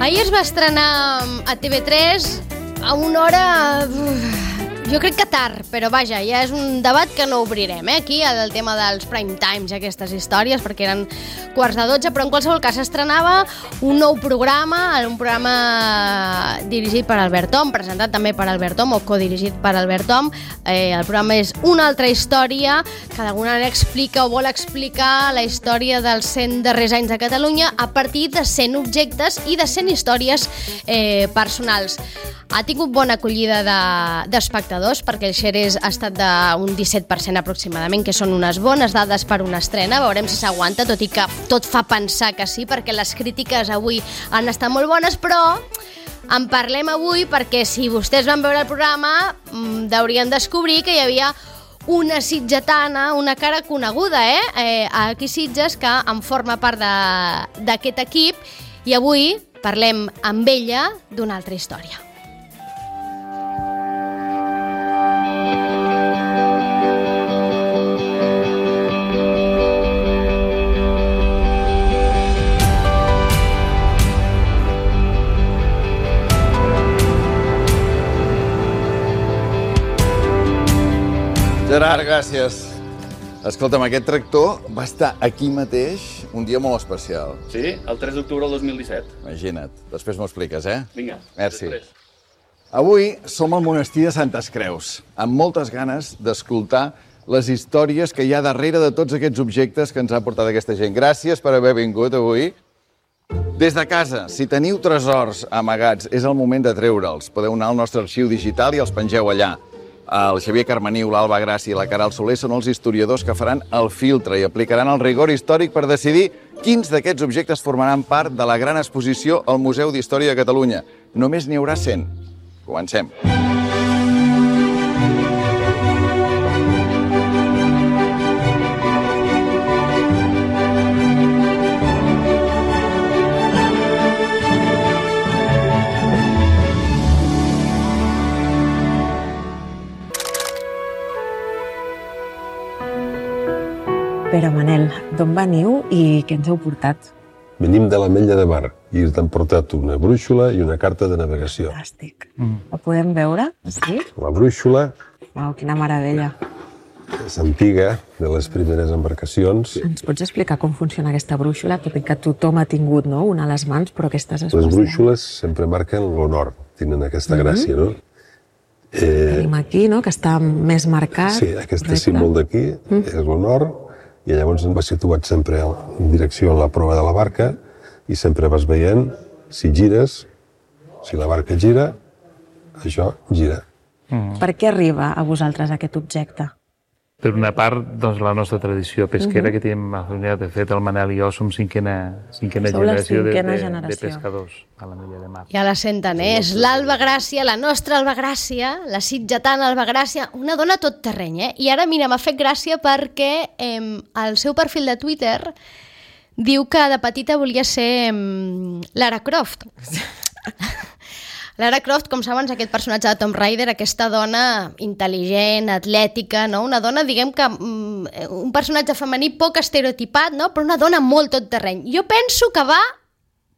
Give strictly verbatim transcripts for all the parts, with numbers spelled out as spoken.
Ahir es va estrenar a T V tres a una hora... Jo crec que tard, però vaja, ja és un debat que no obrirem, eh, aquí, el tema dels prime times i aquestes històries, perquè eren quarts de dotze, però en qualsevol cas s'estrenava un nou programa, un programa dirigit per Albert Om, presentat també per Albert Om, o codirigit per Albert Om. Eh, el programa és Una altra història, que d'alguna manera explica o vol explicar la història dels cent darrers anys de Catalunya a partir de cent objectes i de cent històries eh, personals. Ha tingut bona acollida d'espectadors, perquè el share ha estat d'un disset per cent aproximadament, que són unes bones dades per una estrena. Veurem si s'aguanta, tot i que tot fa pensar que sí, perquè les crítiques avui han estat molt bones, però en parlem avui perquè si vostès van veure el programa deurien descobrir que hi havia una sitgetana, una cara coneguda, eh? eh aquí Sitges, que en forma part d'aquest equip, i avui parlem amb ella d'una altra història. Gerard, gràcies. Escolta'm, aquest tractor va estar aquí mateix un dia molt especial. Sí, el tres d'octubre del dos mil disset. Imagina't. Després m'ho expliques, eh? Vinga, merci. Després. Avui som al monestir de Santes Creus, amb moltes ganes d'escoltar les històries que hi ha darrere de tots aquests objectes que ens ha portat aquesta gent. Gràcies per haver vingut avui. Des de casa, si teniu tresors amagats, és el moment de treure'ls. Podeu anar al nostre arxiu digital i els pengeu allà. El Xavier Carmeniu, l'Alba Gràcia i la Caral Soler són els historiadors que faran el filtre i aplicaran el rigor històric per decidir quins d'aquests objectes formaran part de la gran exposició al Museu d'Història de Catalunya. Només n'hi haurà cent. Comencem. Pere Manel, d'on veniu i què ens heu portat? Venim de l'Ametlla de Mar i ens han portat una brúixola i una carta de navegació. Fantàstic. Mm. La podem veure? Sí? La brúixola... Uau, quina meravella. És antiga, de les primeres embarcacions. Ens pots explicar com funciona aquesta brúixola? Tot i que tothom ha tingut, no?, una a les mans, però aquestes es Les brúixoles sempre marquen l'honor, tenen aquesta mm-hmm. gràcia, no? Eh... Tenim aquí, no?, que està més marcat. Sí, aquest símbol d'aquí mm. és l'honor. I llavors ens va situat sempre en direcció a la proa de la barca i sempre vas veient si gires, si la barca gira, això gira. Mm. Per què arriba a vosaltres aquest objecte? Per una part, doncs, la nostra tradició pesquera, uh-huh. que tenim a Fluvià. De fet, el Manel i jo som cinquena, cinquena generació, cinquena de, generació de pescadors a l'Ametlla de Mar. Ja la senten, eh? És l'Alba Gràcia, la nostra Alba Gràcia, la sitgetana Alba Gràcia, una dona tot terreny, eh? I ara, mira, m'ha fet gràcia perquè eh, el seu perfil de Twitter diu que de petita volia ser eh, Lara Croft. Lara Croft, com saben, és aquest personatge de Tomb Raider, aquesta dona intel·ligent, atlètica, no? Una dona, diguem que, un personatge femení poc estereotipat, no? Però una dona molt tot terreny. Jo penso que va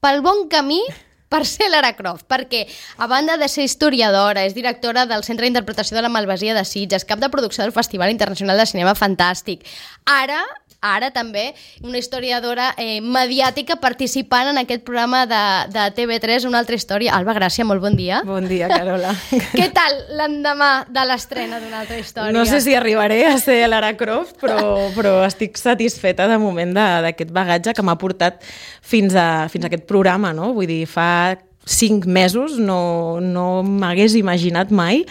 pel bon camí per ser Lara Croft, perquè a banda de ser historiadora, és directora del Centre d'Interpretació de la Malvasia de Sitges, cap de producció del Festival Internacional de Cinema Fantàstic. Ara... Ara també una historiadora eh, mediàtica participant en aquest programa de, de T V tres, Una altra història. Alba Gràcia, molt bon dia. Bon dia, Carola. Què tal l'endemà de l'estrena d'Una altra història? No sé si arribaré a ser Lara Croft, però, però estic satisfeta de moment d'aquest bagatge que m'ha portat fins a, fins a aquest programa, no? Vull dir, fa cinc mesos no, no m'hagués imaginat mai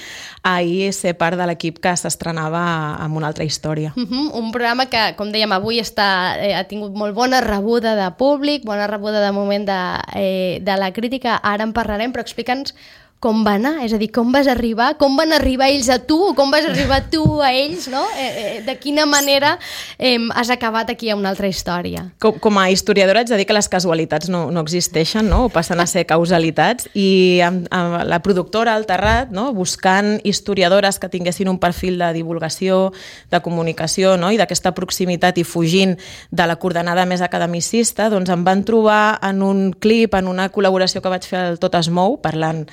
ahir ser part de l'equip que s'estrenava amb Una altra història. Uh-huh. Un programa que, com dèiem, avui està, eh, ha tingut molt bona rebuda de públic, bona rebuda de moment de, eh, de la crítica. Ara en parlarem, però explica'ns com va anar? És a dir, com vas arribar? Com van arribar ells a tu? Com vas arribar tu a ells? No? Eh, eh, de quina manera eh, has acabat aquí a una altra història? Com, com a historiadora haig de dir que les casualitats no, no existeixen, no? O passen a ser causalitats, i amb, amb la productora al Terrat, no? Buscant historiadores que tinguessin un perfil de divulgació, de comunicació, no? I d'aquesta proximitat, i fugint de la coordenada més academicista, doncs em van trobar en un clip, en una col·laboració que vaig fer al Tot es mou, parlant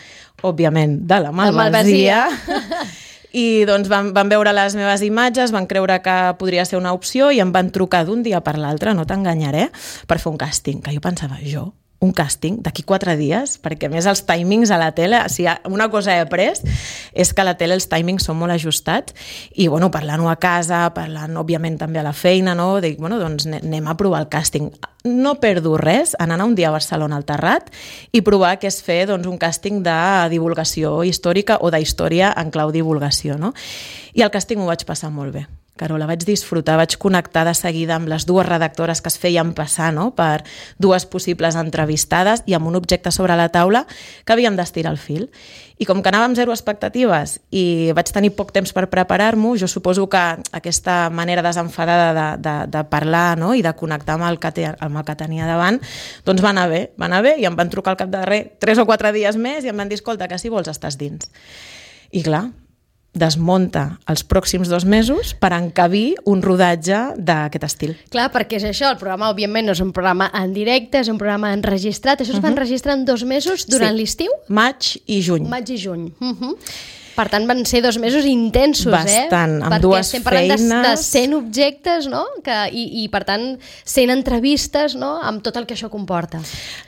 òbviament, de la malvasia. I doncs van, van veure les meves imatges, van creure que podria ser una opció i em van trucar d'un dia per l'altre, no t'enganyaré, per fer un càsting, que jo pensava, jo, un càsting d'aquí quatre dies, perquè a més els timings a la tele, si una cosa he après és que a la tele els timings són molt ajustats, i bueno, parlant-ho a casa, parlant òbviament també a la feina, no? Dic, bueno, doncs anem a provar el càsting. No perdo res en anar un dia a Barcelona al Terrat i provar què és fer doncs, un càsting de divulgació històrica o d'història en clau divulgació, no? I el càsting ho vaig passar molt bé. Carola, vaig disfrutar, vaig connectar de seguida amb les dues redactores que es feien passar, no?, per dues possibles entrevistades i amb un objecte sobre la taula que havíem d'estirar el fil. I com que anava amb zero expectatives i vaig tenir poc temps per preparar-m'ho, jo suposo que aquesta manera desenfadada de, de, de parlar, no?, i de connectar amb el, que te, amb el que tenia davant, doncs va anar bé, va anar bé, i em van trucar al cap de res tres o quatre dies més i em van dir, escolta, que si vols estàs dins. I clar, desmunta els pròxims dos mesos per encabir un rodatge d'aquest estil. Clar, perquè és això, el programa òbviament no és un programa en directe, és un programa enregistrat. Això es va enregistrar en dos mesos durant Sí. l'estiu? Maig i juny. Maig i juny. Uh-huh. Per tant, van ser dos mesos intensos, Bastant, eh? amb Perquè dues estem parlant de, feines. de cent objectes, no? Que, i, I, per tant, cent entrevistes, no?, amb tot el que això comporta.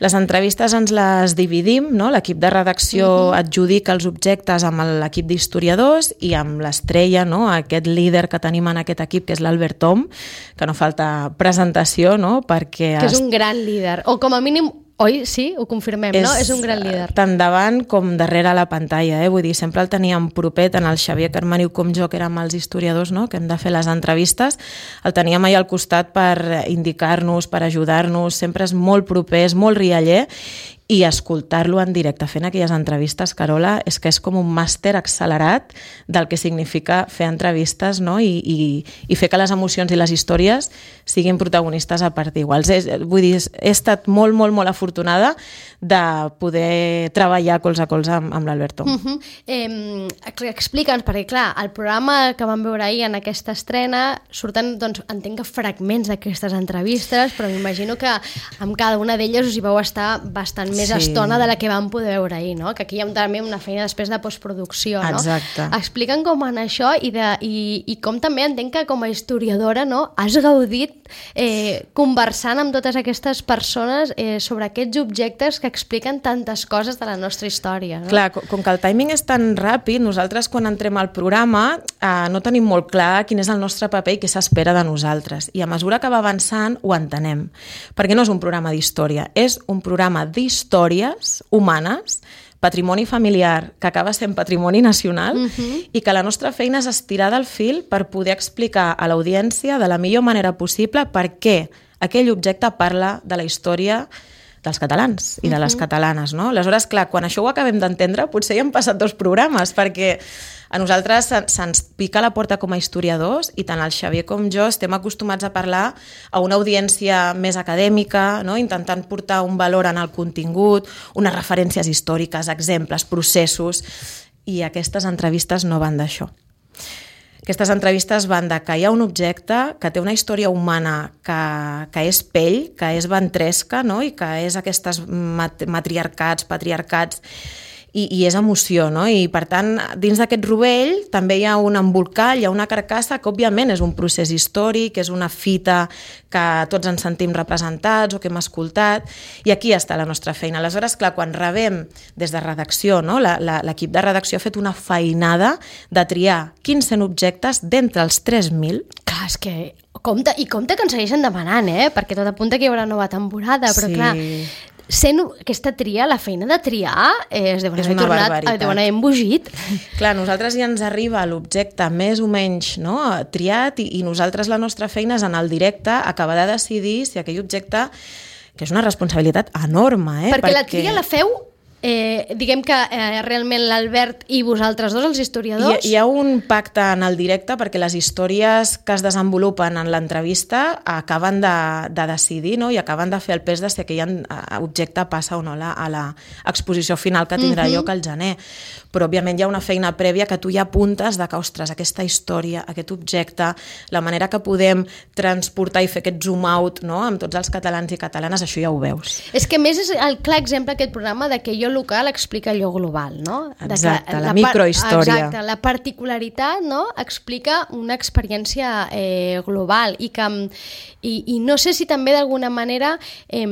Les entrevistes ens les dividim, no? L'equip de redacció uh-huh. adjudica els objectes amb l'equip d'historiadors i amb l'estrella, no?, aquest líder que tenim en aquest equip, que és l'Albert Tom, que no falta presentació, no?, perquè... Que és un gran líder, o com a mínim... Oi? Sí? Ho confirmem, és, no? És un gran líder. Tant davant com darrere la pantalla, eh? Vull dir, sempre el teníem proper, tant el Xavier Carmaniu com jo, que érem els historiadors, no?, que hem de fer les entrevistes, el teníem allà al costat per indicar-nos, per ajudar-nos, sempre és molt proper, és molt rialler, i escoltar-lo en directe fent aquelles entrevistes, Carola, és que és com un màster accelerat del que significa fer entrevistes, no?, I, i, i fer que les emocions i les històries siguin protagonistes a part iguals. És, vull dir, he estat molt, molt, molt afortunada de poder treballar colze a colze amb, amb l'Alberto. Uh-huh. eh, Explica'ns, perquè clar, el programa que vam veure ahir en aquesta estrena surten, doncs, entenc que fragments d'aquestes entrevistes, però m'imagino que amb cada una d'elles us hi vau estar bastant més Sí. estona de la que vam poder veure ahir, no? Que aquí hi ha també una feina després de postproducció, no? Exacte. Explica'm com anar això i, de, i, i com també entenc que com a historiadora, no?, has gaudit eh, conversant amb totes aquestes persones eh, sobre aquests objectes que expliquen tantes coses de la nostra història, no? Clar, com, com que el timing és tan ràpid, nosaltres quan entrem al programa eh, no tenim molt clar quin és el nostre paper i què s'espera de nosaltres. I a mesura que va avançant ho entenem. Perquè no és un programa d'història, és un programa d'històries humanes, patrimoni familiar, que acaba sent patrimoni nacional, uh-huh. i que la nostra feina és estirar del fil per poder explicar a l'audiència de la millor manera possible per què aquell objecte parla de la història dels catalans i de les uh-huh. catalanes, no? Aleshores, clar, quan això ho acabem d'entendre, potser hi han passat dos programes, perquè a nosaltres se'ns pica la porta com a historiadors i tant el Xavier com jo estem acostumats a parlar a una audiència més acadèmica, no?, intentant portar un valor en el contingut, unes referències històriques, exemples, processos, i aquestes entrevistes no van d'això. Aquestes entrevistes van de que hi ha un objecte que té una història humana que, que és pell, que és ventresca, no?, i que és aquestes mat- matriarcats, patriarcats, i, i és emoció, no? I per tant, dins d'aquest rovell també hi ha un embolcall, hi ha una carcassa que òbviament és un procés històric, és una fita que tots ens sentim representats o que hem escoltat, i aquí està la nostra feina. Aleshores, clar, quan rebem des de redacció, no? la, la, l'equip de redacció ha fet una feinada de triar quins cent objectes d'entre els tres mil. Clar, és que compte, i compte que ens segueixen demanant, eh? Perquè tot apunta que hi haurà nova temporada, però Sí. clar, sent aquesta tria, la feina de triar, eh, es deuen És haver una tornat, barbaritat. eh, deuen haver embogit. Clar, a nosaltres ja ens arriba l'objecte més o menys, no?, triat, i, i nosaltres la nostra feina és en el directe acabar de decidir si aquell objecte, que és una responsabilitat enorme, eh? Perquè, perquè la tria la feu Eh, diguem que eh, realment l'Albert i vosaltres dos, els historiadors... Hi, hi ha un pacte en el directe perquè les històries que es desenvolupen en l'entrevista acaben de, de decidir, no? I acaben de fer el pes de si aquell objecte passa o no la, a l'exposició final que tindrà uh-huh. lloc al gener. Però, òbviament, hi ha una feina prèvia que tu ja apuntes de que, ostres, aquesta història, aquest objecte, la manera que podem transportar i fer aquest zoom out, no?, amb tots els catalans i catalanes, això ja ho veus. És que, més, és el clar exemple aquest programa de que jo local explica allò global, no? Exacte, de la, la microhistòria. Exacte, la particularitat, no?, explica una experiència eh, global i que i, i no sé si també d'alguna manera eh,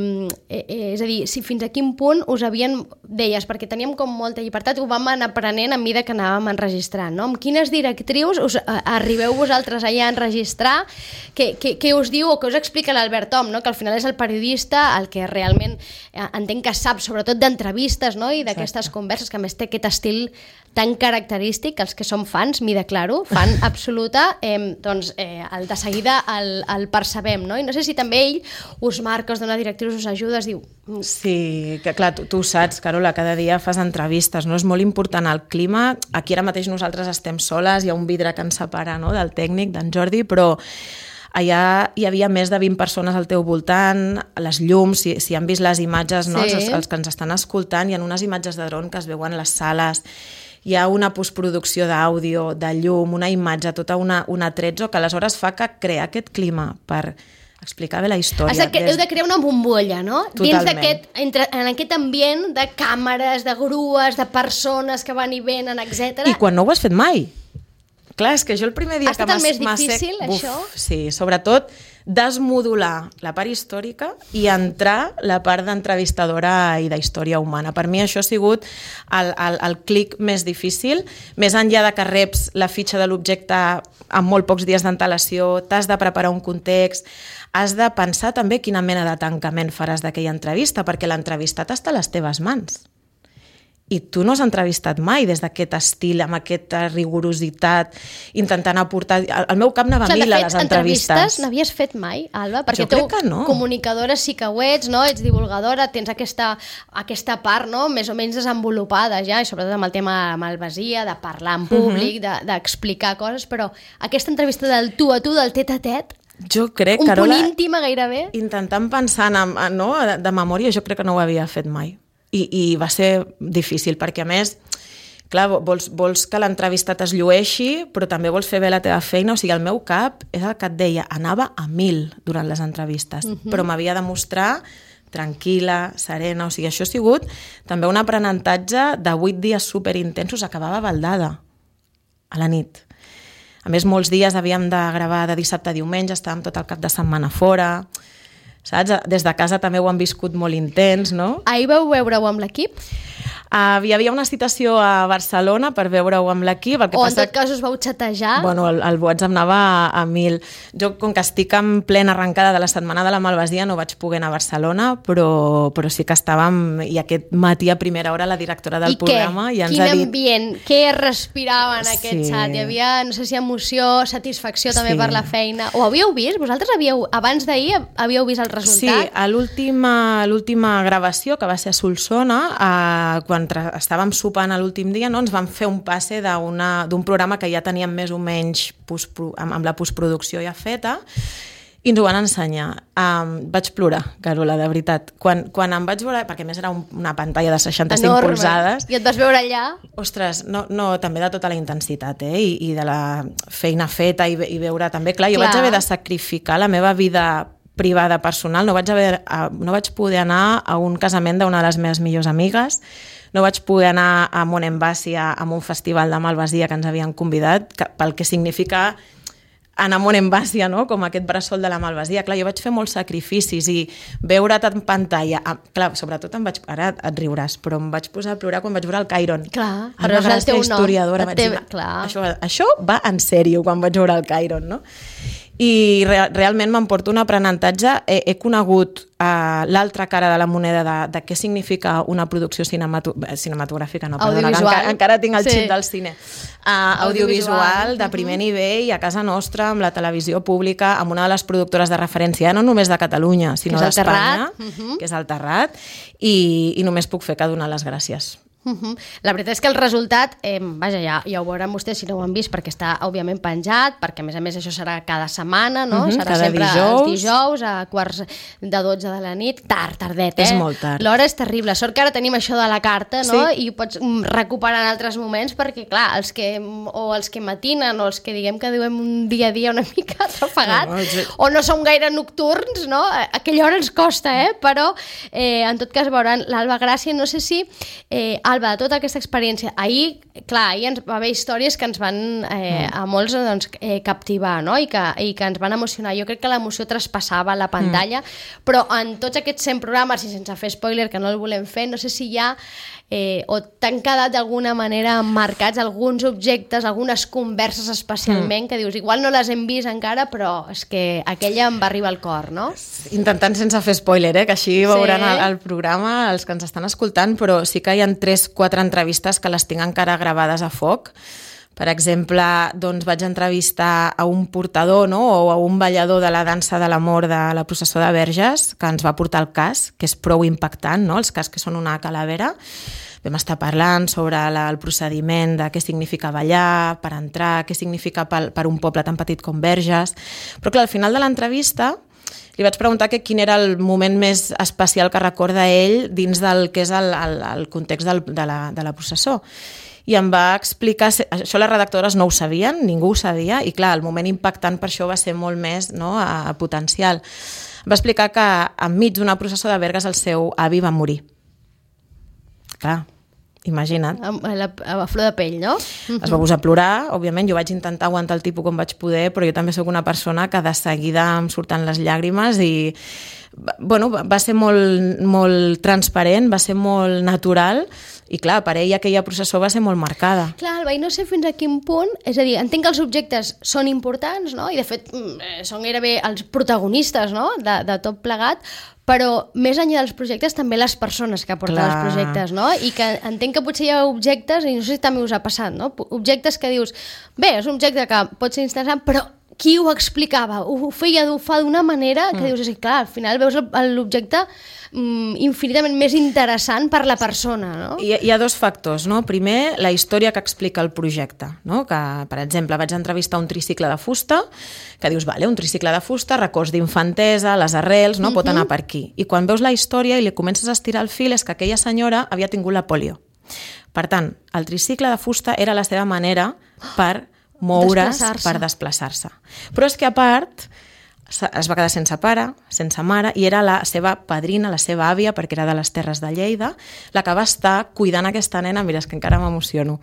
eh, és a dir, si fins a quin punt us havien, deies, perquè teníem com molta llibertat, ho vam anar aprenent a mesura que anàvem enregistrant, no? Amb quines directrius us a, arribeu vosaltres allà a enregistrar, què, què, què us diu o què us explica l'Albert Om, no? Que al final és el periodista el que realment eh, entenc que sap sobretot d'entrevistes, no? I d'aquestes converses, que a més té aquest estil tan característic, els que som fans, m'hi declaro, fan absoluta, eh, doncs eh, el de seguida el, el percebem, no? I no sé si també ell us marca, us dona directrius, us ajuda, es diu... Sí, que clar, tu, tu ho saps, Carola, cada dia fas entrevistes, no? És molt important el clima, aquí ara mateix nosaltres estem soles, hi ha un vidre que ens separa, no?, del tècnic, d'en Jordi, però allà hi havia més de vint persones al teu voltant, les llums, si, si han vist les imatges, no? Sí. Els, els que ens estan escoltant, hi ha unes imatges de dron que es veuen les sales, hi ha una postproducció d'àudio, de llum, una imatge, tota una, una atrezzo que aleshores fa que crea aquest clima per explicar bé la història. Has de, des... Heu de crear una bombolla, no? Totalment. Dins d'aquest, entre, en aquest ambient de càmeres, de grues, de persones que van i venen, etcètera. I quan no ho has fet mai. Clar, és que jo el primer dia ha que estat el més m'ha difícil, sec... això? Uf, sí, sobretot desmodular la part històrica i entrar la part d'entrevistadora i d'història humana. Per mi això ha sigut el, el, el clic més difícil, més enllà de que reps la fitxa de l'objecte amb molt pocs dies d'antelació, t'has de preparar un context, has de pensar també quina mena de tancament faràs d'aquella entrevista, perquè l'entrevistat està a les teves mans. I tu no has entrevistat mai des d'aquest estil, amb aquesta rigorositat, intentant aportar... El meu cap anava a mil a les entrevistes. Entrevistes n'havies fet mai, Alba? Perquè jo crec que no. Comunicadora sí que ho ets, no? Ets divulgadora, tens aquesta, aquesta part, no?, més o menys desenvolupada ja, i sobretot amb el tema de malvasia, de parlar en públic, uh-huh. de, d'explicar coses, però aquesta entrevista del tu a tu, del tet a tet, jo crec, un Carola, punt íntima gairebé. Intentant pensar en, no, de memòria, jo crec que no ho havia fet mai. I, i va ser difícil, perquè a més, clar, vols, vols que l'entrevistat es llueixi, però també vols fer bé la teva feina, o sigui, el meu cap és el que et deia, anava a mil durant les entrevistes, uh-huh. però m'havia de mostrar tranquil·la, serena, o sigui, això ha sigut també un aprenentatge de vuit dies superintensos, acabava baldada a la nit. A més, molts dies havíem de gravar de dissabte a diumenge, estàvem tot el cap de setmana fora, saps? Des de casa també ho han viscut molt intens, no? Ahir vau veure-ho amb l'equip? Uh, hi havia una citació a Barcelona per veure-ho amb l'equip. O en tot cas us vau xatejar? Bueno, el, el WhatsApp anava a, a mil. Jo, com que estic en plena arrencada de la Setmana de la Malvasia, no vaig poder anar a Barcelona, però, però sí que estàvem, i aquest matí a primera hora la directora del I programa què? ja ens Quin ha dit... ambient? Què respirava en aquest Sí. xat? Hi havia, no sé si emoció, satisfacció també Sí. per la feina. Ho havíeu vist? Vosaltres havíeu, abans d'ahir havíeu vist el Sí, resultat? a l'última l'última gravació, que va ser a Solsona, eh, quan tra- estàvem sopant a l'últim dia, no, ens van fer un passe d'una- d'un programa que ja teníem més o menys postpro- amb, amb la postproducció ja feta, i ens ho van ensenyar. Um, vaig plorar, Carola, de veritat. Quan, quan em vaig veure, perquè a més era un, una pantalla de seixanta-cinc Enorme. polzades... I et vas veure allà? Ostres, no, no, també de tota la intensitat, eh? I, i de la feina feta i, ve- i veure també... Clar, jo Clar. vaig haver de sacrificar la meva vida privada, personal, no vaig, haver, no vaig poder anar a un casament d'una de les meves millors amigues, no vaig poder anar a Monembasia a un festival de Malvasia que ens havien convidat, que, pel que significa anar a Monembasia, no?, com aquest bressol de la Malvasia. Clar, jo vaig fer molts sacrificis i veure't en pantalla... Ah, clar, sobretot em vaig... Ara et riuràs, però em vaig posar a plorar quan vaig veure el Cairon. Clar, Anna però és el Gràcia, teu nom. historiadora. El Vaig teu- dir, clar. Això, això va en sèrio quan vaig veure el Cairon, no? i re realment m'emporto un aprenentatge. He, he conegut uh, l'altra cara de la moneda de, de què significa una producció cinemato cinematogràfica, no, perdona, encara, encara tinc el sí. xip del cine. Uh, audiovisual, audiovisual de primer uh -huh. nivell a casa nostra, amb la televisió pública, amb una de les productores de referència, no només de Catalunya, sinó d'Espanya, uh -huh. que és el Terrat, i, i només puc fer que donar les gràcies. Uh -huh. La veritat és que el resultat, eh, vaja, ja, ja ho veuran vostès si no ho han vist, perquè està, òbviament, penjat, perquè, a més a més, això serà cada setmana, no? Uh -huh. Serà cada sempre dijous. els dijous, a quarts de dotze de la nit, tard, tardet, eh? És molt tard. L'hora és terrible. Sort que ara tenim això de la carta, no? Sí. I ho pots recuperar en altres moments, perquè, clar, els que, o els que matinen, o els que, diguem que duem un dia a dia una mica atrafegat, no, no, jo... o no som gaire nocturns, no? Aquella hora ens costa, eh? Però, eh, en tot cas, veuran l'Alba Gràcia, no sé si... Eh, Alba, de tota aquesta experiència, ahir, clar, ahir ens va haver històries que ens van eh, a molts doncs, eh, captivar, no? I que, i que ens van emocionar. Jo crec que l'emoció traspassava la pantalla, mm. però en tots aquests cent programes, i sense fer spoiler, que no el volem fer, no sé si hi ha eh, o t'han quedat d'alguna manera marcats alguns objectes, algunes converses especialment, mm. que dius, igual no les hem vist encara, però és que aquella em va arribar al cor, no? Intentant sense fer spoiler, eh? Que així veuran sí. el, el programa els que ens estan escoltant, però sí que hi ha tres, quatre entrevistes que les tinc encara gravades a foc. Per exemple, doncs vaig entrevistar a un portador, no? O a un ballador de la dansa de l'amor de la processó de Verges, que ens va portar el cas, que és prou impactant, no? Els cas que són una calavera. Vam estar parlant sobre la, el procediment de què significa ballar, per entrar, què significa per, per un poble tan petit com Verges. Però clar, al final de l'entrevista li vaig preguntar que quin era el moment més especial que recorda ell dins del que és el, el, el context del, de, la, de la processó. I em va explicar, això les redactores no ho sabien, ningú ho sabia, i clar, el moment impactant per això va ser molt més, no, a, a potencial. Em va explicar que enmig d'una processó de Bergues el seu avi va morir. Clar, imagina't. A, a, la, a la flor de pell, no? Es va posar a plorar, òbviament, jo vaig intentar aguantar el tipus com vaig poder, però jo també sóc una persona que de seguida em surten les llàgrimes i bueno, va ser molt, molt transparent, va ser molt natural i clar, per ell aquella processó va ser molt marcada. Clar, Alba, i no sé fins a quin punt, és a dir, entenc que els objectes són importants, no? I de fet són gairebé els protagonistes, no? de, de tot plegat, però més enllà dels projectes també les persones que porten clar. Els projectes, no? I que entenc que potser hi ha objectes, i no sé si també us ha passat, no? Objectes que dius, bé, és un objecte que pot ser interessant, però qui ho explicava? Ho feia, ho fa d'una manera que mm. dius, és clar, al final veus l'objecte mm, infinitament més interessant per la persona, no? Hi, hi ha dos factors, no? Primer, la història que explica el projecte, no? Que, per exemple, vaig entrevistar un tricicle de fusta, que dius, vale, un tricicle de fusta, records d'infantesa, les arrels, no? Mm-hmm. Pot anar per aquí. I quan veus la història i li comences a estirar el fil és que aquella senyora havia tingut la polio. Per tant, el tricicle de fusta era la seva manera per moure's, desplaçar-se. Per desplaçar-se. Però és que a part es va quedar sense pare, sense mare, i era la seva padrina, la seva àvia, perquè era de les Terres de Lleida, la que va estar cuidant aquesta nena, mira, és que encara m'emociono,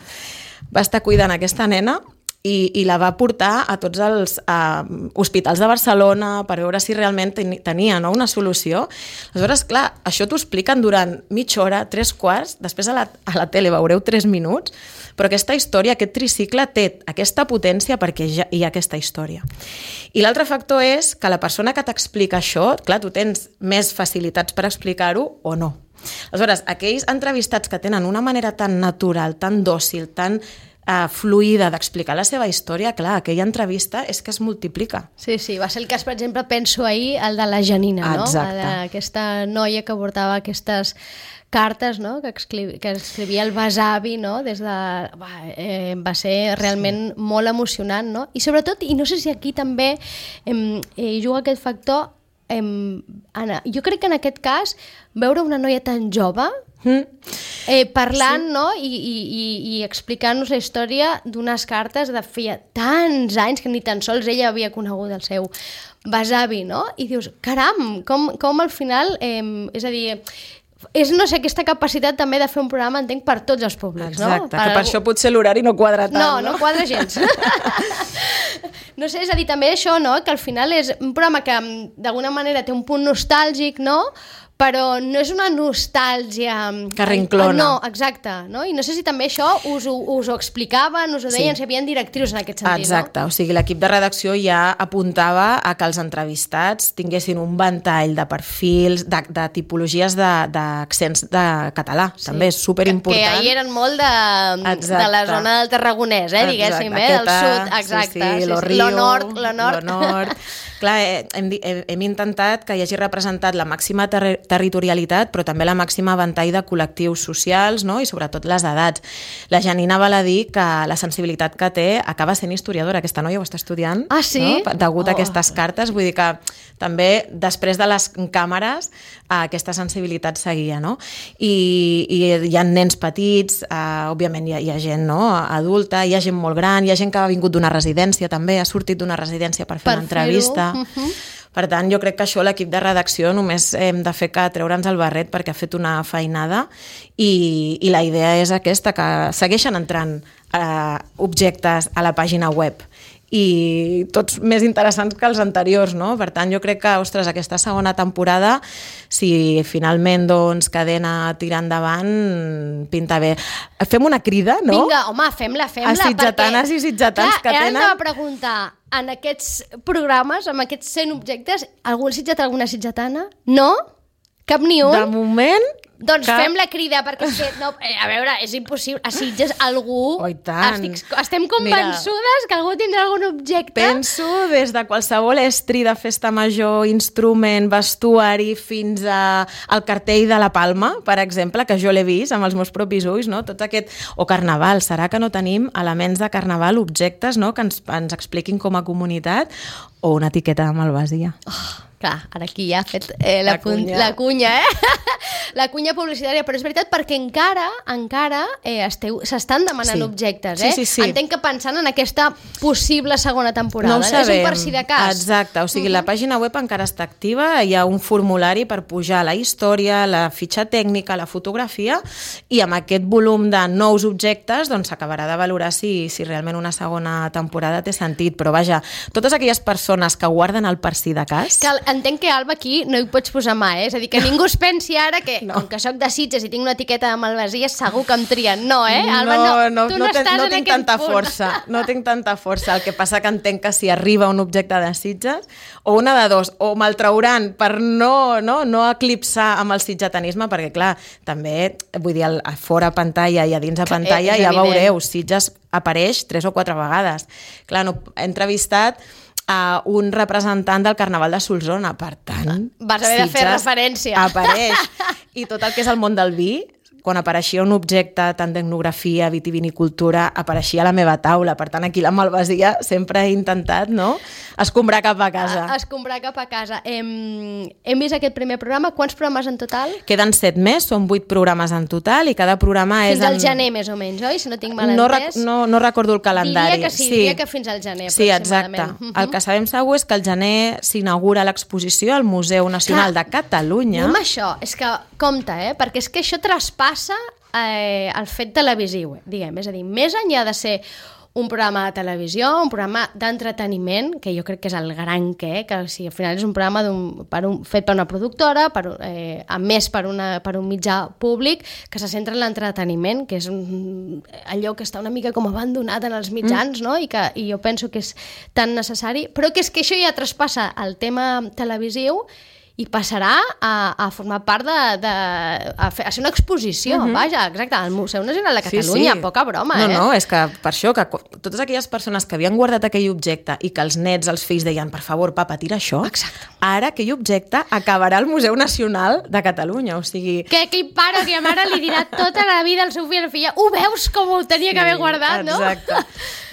va estar cuidant aquesta nena i, i la va portar a tots els uh, hospitals de Barcelona per veure si realment ten, tenia no, una solució. Aleshores, clar, això t'ho expliquen durant mitja hora, tres quarts, després a la, a la tele veureu tres minuts, però aquesta història, aquest tricicle té aquesta potència perquè ja hi ha aquesta història. I l'altre factor és que la persona que t'explica això, clar, tu tens més facilitats per explicar-ho o no. Aleshores, aquells entrevistats que tenen una manera tan natural, tan dòcil, tan uh, fluida d'explicar la seva història, clar, aquella entrevista és que es multiplica. Sí, sí, va ser el cas, per exemple, penso ahir, el de la Janina, no? Exacte. Aquesta noia que portava aquestes cartes, no? que, escrivia, que escrivia el besavi, no? Des de... Va, eh, va ser realment sí. molt emocionant, no? I sobretot, i no sé si aquí també eh, eh, juga aquest factor, eh, Anna, jo crec que en aquest cas veure una noia tan jove mm. eh, parlant sí. no? I, i, i, i explicant-nos la història d'unes cartes de feia tants anys que ni tan sols ella havia conegut el seu besavi, no? I dius, caram, com, com al final, eh, és a dir, és, no sé, aquesta capacitat també de fer un programa, entenc, per tots els públics, exacte, no? Per que per algú... això potser l'horari no quadra tant, no? No, no quadra gens. No sé, és a dir, també això, no? Que al final és un programa que d'alguna manera té un punt nostàlgic, no? però no és una nostàlgia... Que rinclona. No, exacte. No? I no sé si també això us ho, us ho explicaven, us ho deien, sí. Si hi havia directrius en aquest sentit. Exacte, no? O sigui, l'equip de redacció ja apuntava a que els entrevistats tinguessin un ventall de perfils, de, de tipologies d'accents de, de català. Sí. També és superimportant. Que ahir eren molt de, de la zona del Tarragonès, eh, diguéssim, eh, del sud. Exacte. Sí, sí, lo sí, Rio, lo nord, lo nord. Lo nord. Clar, hem, hem, hem intentat que hi hagi representat la màxima ter territorialitat, però també la màxima ventall de col·lectius socials, no? I sobretot les edats. La Janina val a dir que la sensibilitat que té acaba sent historiadora. Aquesta noia ho està estudiant, ah, sí? No? Degut oh. a aquestes cartes. Vull dir que també, després de les càmeres, aquesta sensibilitat seguia, no? I, i hi ha nens petits, eh, òbviament hi ha, hi ha gent, no? Adulta, hi ha gent molt gran, hi ha gent que ha vingut d'una residència també, ha sortit d'una residència per fer per una entrevista. Uh-huh. Per tant, jo crec que això l'equip de redacció només hem de fer que treure'ns el barret perquè ha fet una feinada i, i la idea és aquesta, que segueixen entrant eh, objectes a la pàgina web i tots més interessants que els anteriors, no? Per tant, jo crec que, ostres, aquesta segona temporada, si finalment, doncs, Cadena tira endavant, pinta bé. Fem una crida, no? Vinga, home, fem-la, fem-la. A sitgetanes perquè, i sitgetans clar, que tenen... Ara hem de preguntar, en aquests programes, amb aquests cent objectes, algun sitgetà, alguna sitgetana? No? Cap ni un? De moment... Doncs cap... fem la crida, perquè és que, no, a veure, és impossible. A Sitges algú... Oh, i tant. Estic, estem convençudes Mira, que algú tindrà algun objecte. Penso des de qualsevol estri de festa major, instrument, vestuari, fins a, al cartell de la Palma, per exemple, que jo l'he vist amb els meus propis ulls, no? Tot aquest... O carnaval. Serà que no tenim elements de carnaval, objectes, no? Que ens, ens expliquin com a comunitat, o una etiqueta de malvasia. Oh. Clar, ara aquí ja ha fet eh, la, la, cunya. la cunya, eh? La cunya publicitària, però és veritat perquè encara encara eh, s'estan demanant sí. objectes, eh? Sí, sí, sí. Entenc que pensant en aquesta possible segona temporada. No ho sabem. És un per si de cas. Exacte, o sigui, uh-huh. la pàgina web encara està activa, hi ha un formulari per pujar la història, la fitxa tècnica, la fotografia, i amb aquest volum de nous objectes doncs s'acabarà de valorar si, si realment una segona temporada té sentit. Però vaja, totes aquelles persones que guarden el per si de cas... Que entenc que, Alba, aquí no hi pots posar mà, eh? És a dir, que ningú es pensi ara que, no. com que soc de Sitges i tinc una etiqueta de malvasia, segur que em trien. No, eh? Alba, no, no, tu no, no, no, estàs no en tinc aquest tanta punt. força. No tinc tanta força. El que passa que entenc que si arriba un objecte de Sitges, o una de dos, o me'l trauran per no, no, no eclipsar amb el sitgetanisme, perquè, clar, també, vull dir, a fora pantalla i a dins a pantalla, ja veureu, Sitges apareix tres o quatre vegades. Clar, no, he entrevistat a un representant del Carnaval de Solsona, per tant... Vas haver de fer referència. Apareix. I tot el que és el món del vi, quan apareixia un objecte tant d'etnografia, vitivinicultura, apareixia a la meva taula. Per tant, aquí la malvasia sempre he intentat, no?, escombrar cap a casa. A, escombrar cap a casa. Hem, hem vist aquest primer programa. Quants programes en total? Queden set més, són vuit programes en total, i cada programa fins és... Fins al en... gener, més o menys, oi? Si no tinc mal no entès. No, no recordo el calendari. Diria que sí, sí. diria que fins al gener, sí, exacte. Uh-huh. El que sabem segur és que al gener s'inaugura l'exposició al Museu Nacional Clar, de Catalunya. No amb això, és que compte, eh? Perquè és que això traspassa eh, el fet televisiu, diguem. És a dir, més enllà de ser un programa de televisió, un programa d'entreteniment, que jo crec que és el gran què, que si al final és un programa un, per un, fet per una productora, per, eh, a més per, una, per un mitjà públic, que se centra en l'entreteniment, que és un, allò que està una mica com abandonat en els mitjans, mm. no? I, que, i jo penso que és tan necessari, però que és que això ja traspassa el tema televisiu i passarà a, a formar part de, de a, fer, a ser una exposició, uh-huh. vaja, exacte, al Museu Nacional de Catalunya, sí, sí. poca broma, no, eh? No, és que per això, que totes aquelles persones que havien guardat aquell objecte i que els nets, els fills deien, per favor, papa, tira això, exacte. Ara aquell objecte acabarà al Museu Nacional de Catalunya, o sigui... Que aquell pare o aquella mare li dirà tota la vida al seu fill o filla, ho veus com ho tenia sí, que haver guardat, no? Exacte.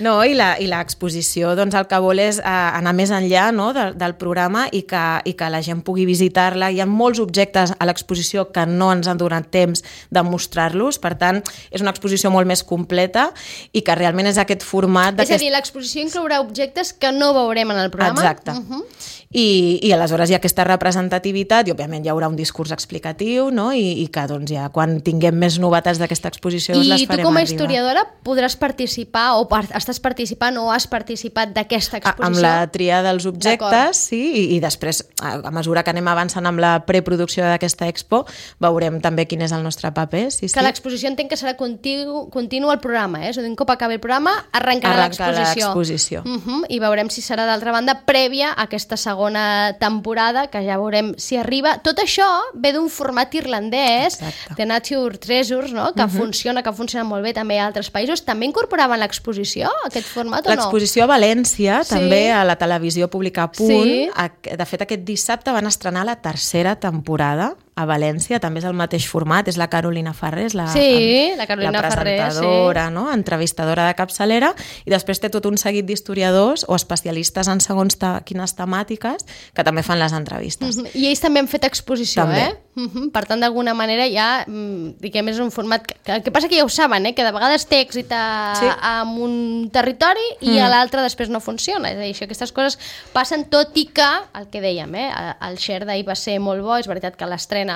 No, i l'exposició, doncs, el que vol és eh, anar més enllà, no?, de, del programa i que, i que la gent pugui visitar-la. Hi ha molts objectes a l'exposició que no ens han donat temps de mostrar-los, per tant, és una exposició molt més completa i que realment és aquest format... És a dir, l'exposició inclourà objectes que no veurem en el programa. Exacte. Uh-huh. I, i aleshores hi ha aquesta representativitat i òbviament hi haurà un discurs explicatiu, no? I, i que doncs, ja quan tinguem més novetats d'aquesta exposició I les farem arribar. I tu com a historiadora podràs participar o part, estàs participant o has participat d'aquesta exposició? Amb la tria dels objectes, sí, i, i després a mesura que anem anem avançant amb la preproducció d'aquesta expo, veurem també quin és el nostre paper. Sí, sí. Que l'exposició entenc que serà continu, continu el programa, eh? És a dir, un cop acabi el programa, arrencarà l'exposició. l'exposició. Uh -huh. I veurem si serà, d'altra banda, prèvia a aquesta segona temporada, que ja veurem si arriba. Tot això ve d'un format irlandès, Exacte. The Nature Treasures, no? Que uh -huh. funciona, que funciona molt bé també a altres països. També incorporaven l'exposició, aquest format, o no? L'exposició a València, Sí. també a la televisió pública a punt. Sí. De fet, aquest dissabte van estrenar la tercera temporada a València, també és el mateix format, és la Carolina Farrés, la, Sí, la Carolina la Farrés, presentadora, sí. no? Entrevistadora de capçalera, i després té tot un seguit d'historiadors o especialistes en segons ta, quines temàtiques que també fan les entrevistes. Uh -huh. I ells també han fet exposició, També. eh? Uh -huh. Per tant, d'alguna manera ja, mm, diguem, és un format que, que, que passa que ja ho saben, eh? Que de vegades té èxit a, Sí. a un territori i Mm. a l'altre després no funciona. És a dir, això, aquestes coses passen, tot i que, el que dèiem, eh? El share d'ahir va ser molt bo, és veritat que l'estrena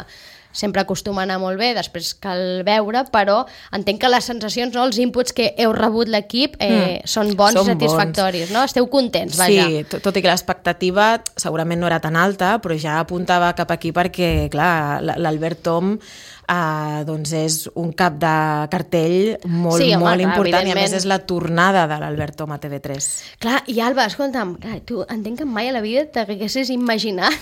sempre acostuma a anar molt bé, després cal veure, però entenc que les sensacions, no, els inputs que heu rebut l'equip eh, mm. són bons Són i satisfactoris, no? Esteu contents, vaja. Sí, tot, tot i que l'expectativa segurament no era tan alta, però ja apuntava cap aquí perquè, clar, l'Albert Tom eh, doncs és un cap de cartell molt, Sí, home, molt clar, important, i a evidentment. més és la tornada de l'Albert Tom a T V tres. Clar, i Alba, escolta'm, clar, tu entenc que mai a la vida t'haguessis imaginat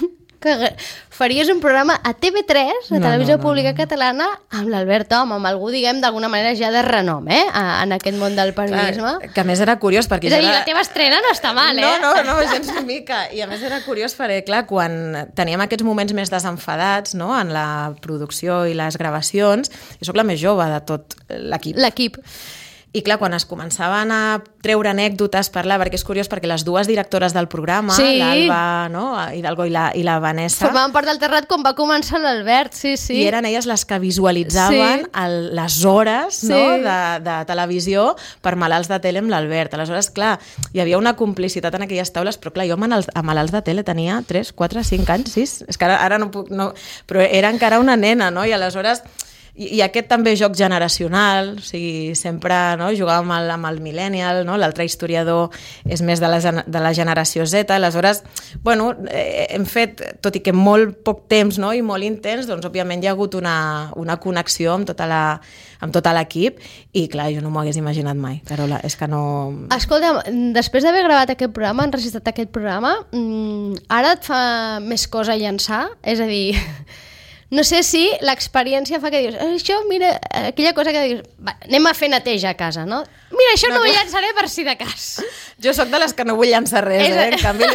que faries un programa a T V tres, a No, Televisió no, no, Pública no. Catalana, amb l'Albert Tom, amb algú, diguem, d'alguna manera ja de renom, eh?, a, en aquest món del periodisme. Clar, que a més era curiós perquè... És a dir, era... la teva estrena no està mal, eh? No, no, no, gens una mica. I a més era curiós perquè, clar, quan teníem aquests moments més desenfadats, no?, en la producció i les gravacions, jo sóc la més jove de tot l'equip. L'equip. I clar, quan es començaven a treure anècdotes, parlar, perquè és curiós, perquè les dues directores del programa, Sí. l'Alba, no?, Hidalgo i la, i la Vanessa, Formaven part del terrat quan va començar l'Albert, sí, sí. i eren elles les que visualitzaven Sí. el, les hores Sí. no, de, de televisió per malalts de tele amb l'Albert. Aleshores, clar, hi havia una complicitat en aquelles taules, però clar, jo amb, els, amb malalts de tele tenia tres, quatre, cinc anys, sis, és que ara, ara no puc... No, però era encara una nena, no?, i aleshores... I, i aquest també joc generacional, o sigui, sempre no, jugàvem amb el, amb el millennial, no? L'altre historiador és més de la, de la generació Z, aleshores, bueno, eh, hem fet, tot i que molt poc temps, no, i molt intens, doncs òbviament hi ha hagut una, una connexió amb tota la, amb tot l'equip, i clar, jo no m'ho hagués imaginat mai, Carola, és que no... Escolta, després d'haver gravat aquest programa, enregistrat aquest programa, mmm, ara et fa més cosa llançar? És a dir... No sé si l'experiència fa que dius, això, mira, aquella cosa que dius, va, anem a fer neteja a casa, no? Mira, això no, no ho llançaré per si de cas. Jo sóc de les que no vull llançar res, És... eh? En canvi,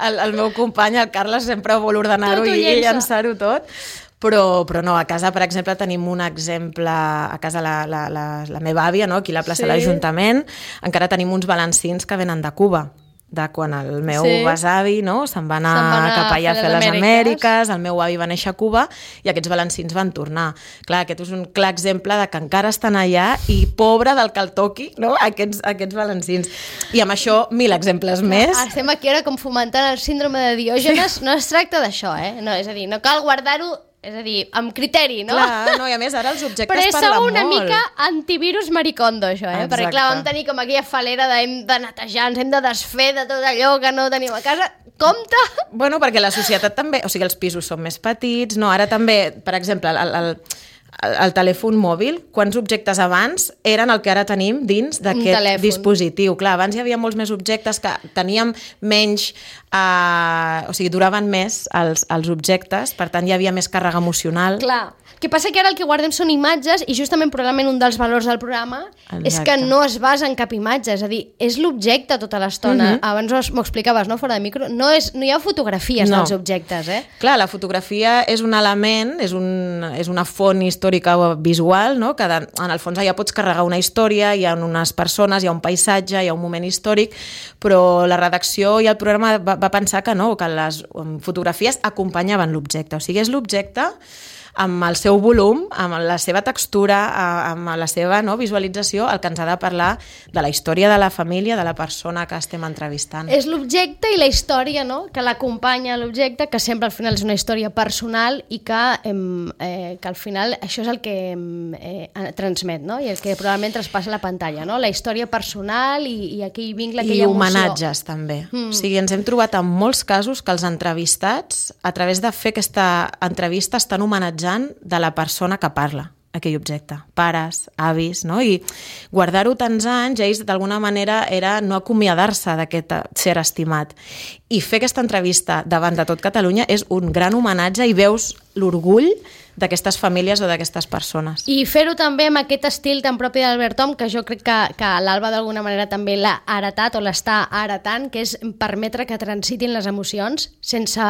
el, el meu company, el Carles, sempre vol ordenar-ho i, i llançar-ho tot. Però, però no, a casa, per exemple, tenim un exemple, a casa la, la, la, la meva àvia, no? Aquí a la plaça Sí. de l'Ajuntament, encara tenim uns balancins que venen de Cuba, de quan el meu Sí. besavi no, se'n va anar, Se'n va anar cap allà a fer les Amèriques. Amèriques, el meu avi va néixer a Cuba i aquests balancins van tornar. Clar, aquest és un clar exemple de que encara estan allà i pobre del que el toqui, no? aquests, aquests balancins. I amb això, mil exemples més. Estem aquí ara com fomentant el síndrome de Diògenes. No es tracta d'això, eh? No, és a dir, no cal guardar-ho, és a dir, amb criteri, no? Clar, no, i a més ara els objectes Però és parlen sou una molt. mica antivirus maricondo, això, eh? Exacte. Perquè, clar, vam tenir com aquella falera de hem de netejar, ens hem de desfer de tot allò que no tenim a casa. Compte! Bueno, perquè la societat també... O sigui, els pisos són més petits, no? Ara també, per exemple, el, el, el, el telèfon mòbil, quants objectes abans eren el que ara tenim dins d'aquest telèfon. dispositiu? Clar, abans hi havia molts més objectes que teníem menys... Eh, o sigui, duraven més els, els objectes, per tant hi havia més càrrega emocional. Clar. El que passa que ara el que guardem són imatges i justament probablement un dels valors del programa Exacte. és que no es basa en cap imatge, és a dir, és l'objecte tota l'estona. Uh-huh. Abans m'ho explicaves, no?, fora de micro. No, és, no hi ha fotografies No. dels objectes, eh? Clar, la fotografia és un element, és, un, és una font històrica o visual, no? Que de, en el fons allà pots carregar una història, hi ha unes persones, hi ha un paisatge, hi ha un moment històric, però la redacció i el programa va, va pensar que no, que les um, fotografies acompanyaven l'objecte. O sigui, és l'objecte amb el seu volum, amb la seva textura, amb la seva no, visualització, el que ens ha de parlar de la història de la família, de la persona que estem entrevistant. És l'objecte i la història, no?, que l'acompanya a l'objecte, que sempre al final és una història personal i que, eh, que al final això és el que eh, transmet, no?, i el que probablement traspassa la pantalla, no?, la història personal i, i aquell vincle, aquella I emoció. I homenatges, també. Mm. O sigui, ens hem trobat en molts casos que els entrevistats, a través de fer aquesta entrevista, estan homenatjant de la persona que parla aquell objecte, pares, avis, no? I guardar-ho tants anys, ells d'alguna manera era no acomiadar-se d'aquest ser estimat. I fer aquesta entrevista davant de tot Catalunya és un gran homenatge i veus l'orgull d'aquestes famílies o d'aquestes persones. I fer-ho també amb aquest estil tan propi d'Albert Tom, que jo crec que, que l'Alba d'alguna manera també l'ha heretat o l'està heretant, que és permetre que transitin les emocions sense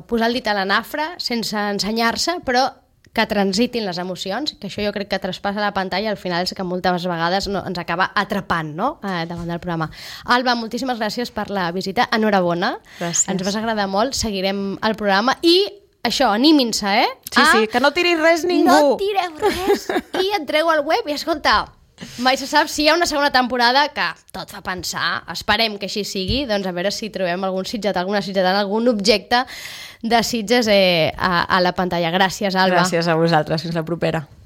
posar el dit a la nafra, sense ensenyar-se, però que transitin les emocions, que això jo crec que traspassa la pantalla, al final és que moltes vegades no, ens acaba atrapant, no?, eh, davant del programa. Alba, moltíssimes gràcies per la visita, enhorabona. Gràcies. Ens vas agradar molt, seguirem el programa i això, animin-se, eh? Sí, sí, que no tiris res ningú. No tireu res i entreu al web i escolta, mai se sap si hi ha una segona temporada, que tot fa pensar, esperem que així sigui, doncs a veure si trobem algun sitget, alguna sitgetant, algun objecte de Sitges eh, a, a la pantalla. Gràcies, Alba. Gràcies a vosaltres, fins la propera.